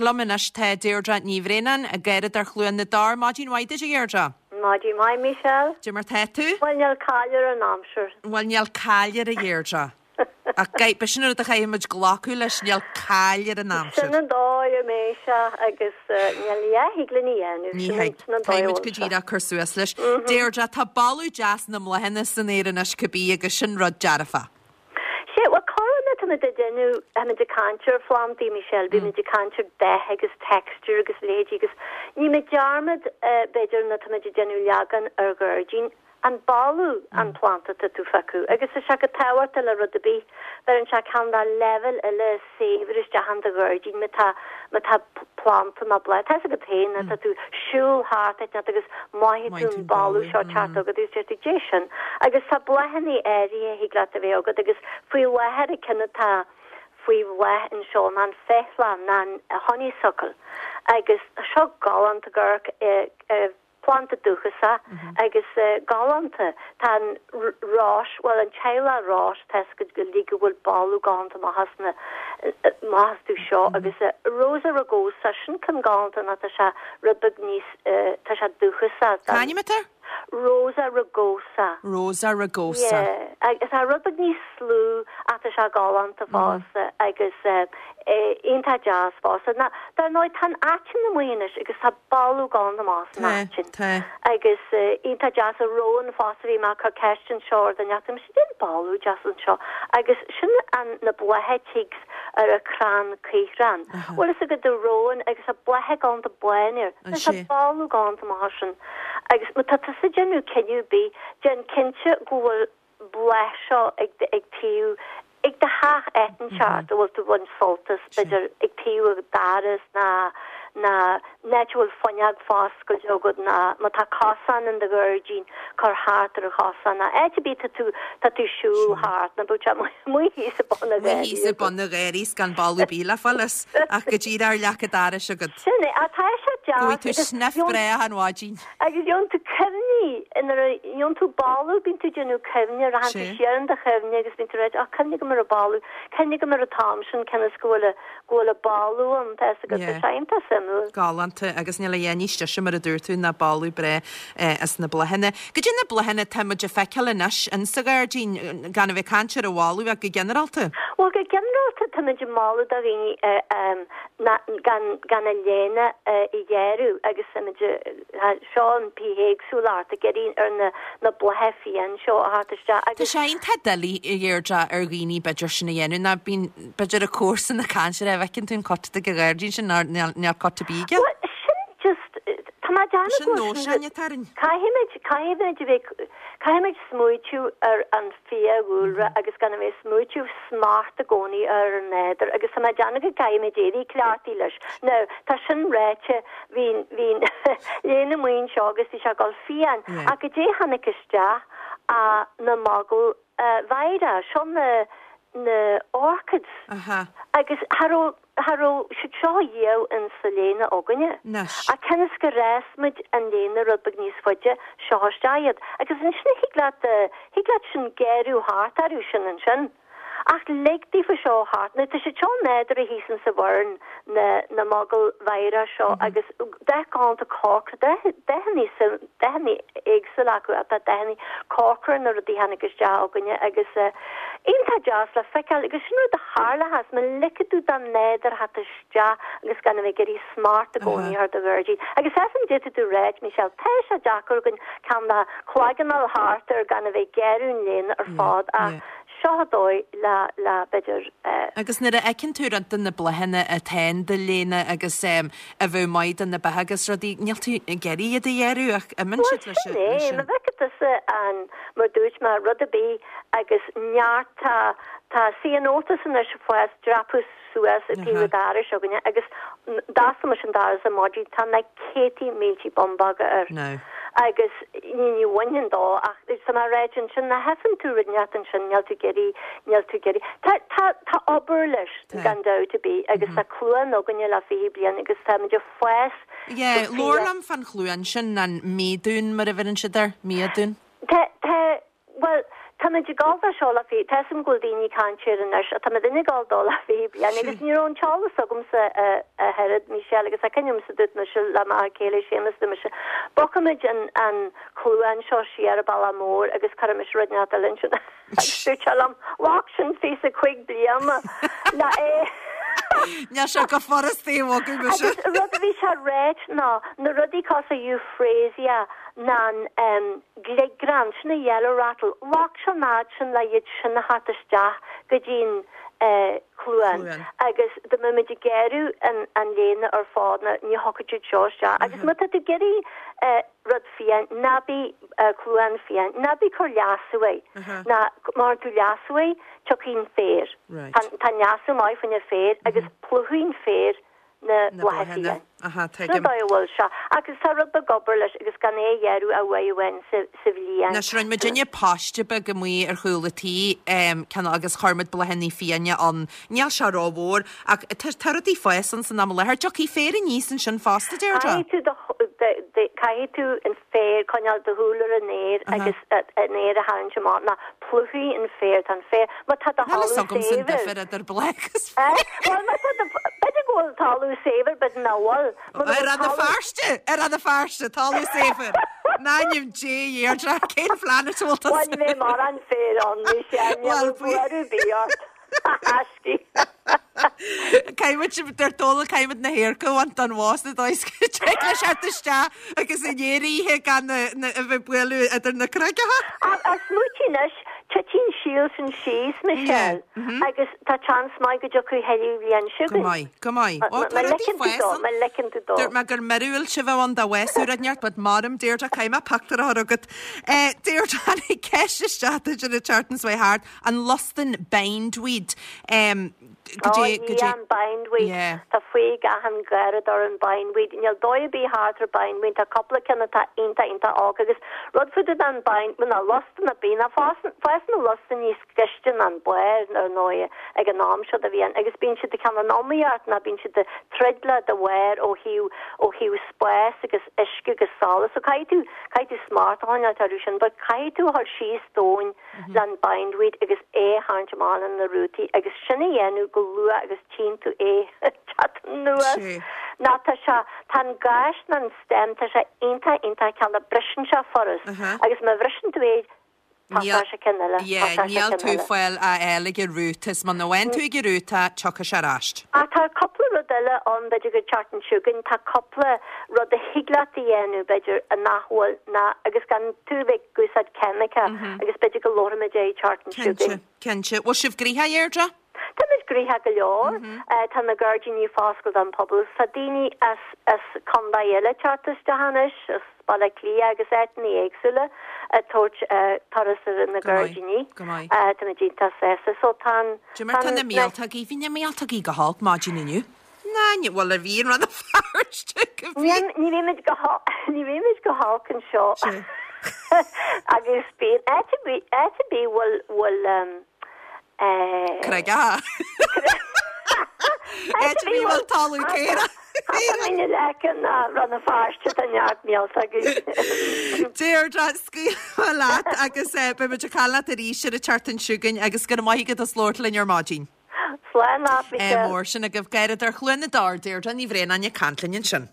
Liom anois tá Deirdre Ní Bhraonáin, Garradóir Chluain na dTor. Maidin mhaith duit, a Dheirdre. Maidin mhaith, Michelle. Cad é mar tá tú? Bhuel, níl caill ar an aimsir. Bhuel, níl caill air, a Dheirdre. Ach b'shin an rud a chaithfidh muid glacadh leis, níl caill ar an aimsir. Sin an dóigh a mbeidh sé agus níl a dhath a thig linn a dhéanamh. Ní thig. Sin an dóigh a a Caithfidh muid bhfuil go sé. díreach cur suas leis. Deirdre, tá boladh deas na mbláthanna san aer anois cibé agus sin rud dearfach. Sea, bhuel, corruair nuair táimid ag déanamh, táimid ag caint ar phlandaí, Michelle, bímid ag caint ar dath agus texture agus a leithéidí agus nímid dearmad, b'fhéidir, nuair táimid ag déanamh leagan ar ghairdín, an boladh an planta tá tú feiceadh agus tá sé go tábhachtach le rud ar bith, bheireann sé ceann de leibhéal eile saibhir isteach in do ghairdín má tá, má tá planta nó bláth, tá fhios agat féin, nuair tá tú siúl thart áit inteacht agus mothaíonn tú an boladh seo teacht agat agus deir tú dé sin agus tá bláthanna áirithe a thig leat a bheith agat agus faoi láthair an ceann atá faoi bhláth anseo ná an féithleann ná an honeysuckle agus tá seo galánta ag amharc Planda dúchasach agus galánta. Tá an rós, bhuel an teaghlach rós, tá fhios agat uilig go bhfuil boladh galánta amach as na, amach astu seo agus Rosa rugosa, sin ceann galánta nó tá sé rud beag níos, tá sé dúchasach. Cá ainm atá air? Rosa rugosa. Rosa rugosa. Yeah, agus tá rud beag níos lú ach tá sé galánta fosta agus iontach deas fosta. Ná, dar ndóigh tá an aiteann amuigh anois agus tá boladh galánta amach as an aiteann. Tá. Agus iontach deas an rowan fosta bhí mé ag cur ceist anseo ar dhuine acu, mise cén boladh deas anseo agus sin an na blátha tig ar an crann caothrán. Bhfuil fhios agat an rowan agus tá blátha galánta bán air. Tá boladh galánta amach as sin. Agus má tá tusa ag déanamh cinneadh ar bith, déan cinnte go bhfuil bláth seo ag ag taobh ag do theach áit inteacht a bhfuil tú ag baint sult as, b'fhéidir ag taobh an doras ná ná an áit a bhfuil fuinneog foscailte agat ná má tá cosán in do ghairdín cuir thart ar an chosán ná áit ar bith tá tú tá tú siúl thart ná bíodh sé amuigh thíos ag bun an Amuigh thíos ag bun an gharraí 's gan boladh ar bith le fáil as ach go díreach ar leac an dorais agat. Sin é, tá sé deas. Go bhfaighidh tú sniff breá achan mhaidin. Agus gheobhann tú cuimhní, nuair a gheobhann tú boladh, bíonn tú ag déanamh cuimhne, rachann tú siar in do chuimhne agus bíonn tú ag ráit, oh, cuimhnigh agam ar an boladh, cuimhnigh agam ar an t-am sin, cionn is go bhfuil a, go bhfuil an boladh ann, tá fhios agat, tá sé iontach suimiúil. Galánta, agus níl a dhath níos deise mar a dúirt tú ná boladh breá as na bláthanna. Goidé na bláthanna atá muid ag feiceáil anois in sa ghairdín, gan a bheith ag caint ar an bholadh ach go ginearálta? Bhuel, go ginearálta tá muid ag moladh do dhaoine ná gan gan a léine a ghearradh agus táimid seo an bithéagsúlacht ag iarraidh ar na na blátha fiáin seo a theacht isteach Tá agus. sé iontach doiligh a Dheirdre ar dhaoine b'fhéidir sin a dhéanamh ná bíonn b'fhéidir a comharsan ag caint ar a bhfeiceann tú an cut ag an ghairdín sin ná níl níl cut ar bith aige. Bhuel sin just tá mé ag déanamh Sin go bhfuil sin nóisean atá orainn. Caithfimid caithfimid a bheith caithfimid smaoitiú ar an fiadhúlra agus gan a bheith ag smaoitiú smacht i gcónaí ar an nádúr agus tá mé ag déanamh go gcaithfimid éirí cleachtaithe leis. Now, tá sin ráite, bhí, bhí léine amuigh anseo agus bhí sé ag dul fiáin ach goidé a tháinig isteach ach na mogall mheidhreach, seo na, na orchids agus cha raibh, Cha raibh siad seo riamh in sa léine againne. Ach cionn is gur fhás muid an léine rud beag níos faide, seo isteach iad. Agus ansin thig leat, thig leat sin gearradh thart orthu sin ansin. Ach lig daofa seo thart. Now tá siad seo nádúrtha thíos in sa Bhoireann, na, na mogaill mheidhreach seo agus dath galánta corcra, dath, dathanna, dathanna éagsúla acu ach tá dathanna corcra ar na rudaí a tháinig isteach againne agus iontach deas le feiceáil agus sin rud a tharlóchas má ligfidh tú don nádúr theacht isteach agus gan a bheith ag iarraidh smacht i gcónaí ar do ghairdín. Agus as an d'fhéadfadh tú ráit, Michelle, tá sé deacair againn ceann de chloigeann a fháil thart ar gan a bheith ag gearradh an léine ar fad ach seo an dóigh le, le, b'fhéidir, eh. Agus nuair a fheiceann tú rud de na bláthanna atá in do léine agus a bheadh maith do na beacha agus rudaí, níl tú ag iarraidh iad a ghearradh ach imíonn Bhuel siad leis sin é, sin. má bhfeiceann tusa an, mar dúirt mé, rud ar bith agus neart, tá, tá ceanothus anois ag fás, dreapadh suas ag taobh an dorais againne agus d'oscail mise an doras ar maidin, tá na céadtaí míltí bumbóga air. Now. Agus ní, ní bhainfinn dó ach tá mé ag ráit ansin, má fheiceann tú rud inteacht ansin, níl tú ag iarraidh, níl tú ag iarraidh. Tá, tá, tá obair leis. Gan dabht ar bith, agus tá cluain againne le 20 bliain agus táimid ag fás go Yeah, fia. labhair liom fán chluain sin, an míodún mar a bheireann siad air, míodún. Tá, tá, bhuel, tá. Táimid ag gabháil dó seo le 20, tá 'fhios a'm go bhfuil daoine ag caint air anois, ach táimid ag gabháil dó le 20 bliain agus ní raibh an t-eolas agamsa a oiread, Michelle, agus tá cuimhne agamsa dúirt mise le m'fhear céile Séamus, dúirt mise, bogfaimid an an cluain seo siar an bealach mór agus cuirfimis rud inteacht eile ansin agus dúirt sé liom, bheadh sin 25 bliana le é. Níl sé go furasta é a bhogadh mise. Agus rud a bhí sé ráit ná na rudaí cosúil Euphrasia ná an gliográn, sin an yellow rattle, bheadh sé an fhad sin le iad sin a theacht isteach go dtí'n chluain agus dá mbeadh muid ag gearradh an an léine ar fad ná ní thiocfadh siad seo isteach agus má tá tú ag iarraidh rud fiáin, ná bí cluain fiáin, ná bí cur leasú air, ná má chuireann tú leasú air tiocfaidh an féar, tá an leasú maith fá choinne féar agus plúchfaidh an féar na blátha fiáin. Aha, Sin an tuigim. dóigh a bhfuil sé. Agus tá rud beag obair leis agus gan é a ghearradh ach uair amháin sa, sa bhliain. Anois, rinne muidinne paiste beag amuigh ar chúl a tí, cineál, agus chuir muid bláthanna fiáine ann. Níl sé rómhór, ach tá, tá rudaí ag fás ann san am i láthair. Tiocfaidh féar aníos ansin fosta, Deirdre? Caithfidh tú do, do, do, caithfidh tú an féar, coinneáil do shúil ar an fhéar agus an fhéar a tharraingt amach ná plúchfaidh an féar, tá an féar, má tá do Níl fhios thalamh agamsa an saibhir. difear idir bláth agus féar. Bhuel, má tá do, b'fhéidir go bhfuil talamh saibhir, b'fhéidir nach bhfuil. Mura bhfuil Ar Rann na talamh. Feirste, ar Rann na Feirste, talamh saibhir. In ainm Dé, Deirdre, cén planet a bhfuil tusa? Bhuel, ní bheidh mórán féir ann, Michelle, ní Bhuel, bheidh buaireamh ar bith ort. Aiscí. Caithfimid, deir Dónal, caithfimid na hadharca a bhaint den bhó sa dóigh is go dtig leis theacht isteach agus an fhéar a ithe gan a bheith ag bualadh idir na carraigeacha. Ach smaoitigh anois, titeann an síol sin síos, Michelle, agus tá seans maith go dtiocfaidh thuilleadh bhliain seo chugainn. Go maith, go maith. Ó, tá rudaí ligeann tú dó, má ligeann tú dó. Dúirt mé gur míorúilt a bheadh ann dá bhfásfadh rud inteacht, but maram, Deirdre, caithfidh mé pictiúr a chur chugat. Deirdre, tháinig ceist isteach duit an tseachtain seo thart. An lustan bindweed. Go Ó, dté, go dté. an bindweed. Yeah. Tá faoi achan gharradóir an bindweed. Níl dóigh ar bith thart ar bindweed. Tá cúpla ceann atá iontach, iontach olc agus rud fá dtaobh den bind, bhuel, ná lustan ar bith, ná fásann, fásann na lustain níos gaiste ná an barr, ar ndóigh, ag an am seo de bhliain agus bíonn siad ag cineál in iomaíocht ná bíonn siad ag troid le do bharr ó thaobh, ó thaobh spás agus uisce agus solas. So caithfidh tú, caithfidh tú smacht a choinneáilt orthu sin but caithfidh tú a dhul síos domhain leis an bindweed agus é a tharraingt amach le na rútaí agus sin a dhéanamh go luath agus tchíonn tú é ag teacht anuas. Ná tá sé, tá an gais ná an stem, tá sé iontach, iontach cineál, briseann sé furast agus má bhriseann tú é tosóidh sé ceann eile, Yeah, tosóidh sé níl ceann tú eile. fáil a fháil ag an rúta, is muna bhfaigheann tú ag an rúta, tiocfaidh sé ar ais. Ach tá cúpla rud eile ann, b'fhéidir go tseachtain seo chugainn, tá cúpla rud a thig leat a dhéanamh, b'fhéidir, nach bhfuil, ná, agus gan tú a bheith ag úsáid ceimice agus b'fhéidir go labharfaimid é an tseachtain seo chugainn. Cinnte, cinnte. Bhfuil sibh gnoitheach, a Dheirdre? Táimid gnoitheach go leor. Tá na gairdíní foscailte don phobal. Tá daoine as as contae eile ag teacht isteach anois, as Baile Átha Cliath agus áiteanna éagsúla ag tabhairt turas ar na Go maith, gairdíní. go maith. Táimid iontach sásta. So tá an, Cad é mar tá tá na an, míoltógaí? Bhí na míoltógaí go holc maidin inniu. Ná, ní, bhuel, a bhí i Rann na Feirste go bhí. Ní bhímid go ní bhímid go holc anseo. Agus bíonn áit ar bith áit ar bith bhfuil bhfuil eh. Carraigeacha. Áit ar bith bhfuil talamh caorach. Tá mé ina leice ná Rann na Feirste tá neart míoltógaí. Deirdre, scaoilfidh mé leat agus beidh muid ag caint leat arís ar an tseachtain seo chugainn agus go raibh maith agat as labhairt linn ar maidin. Slán leat, Michelle. Mór sin agaibh. Garradóir Chluain na dTor, Deirdre Ní Bhraonáin ag caint linn ansin.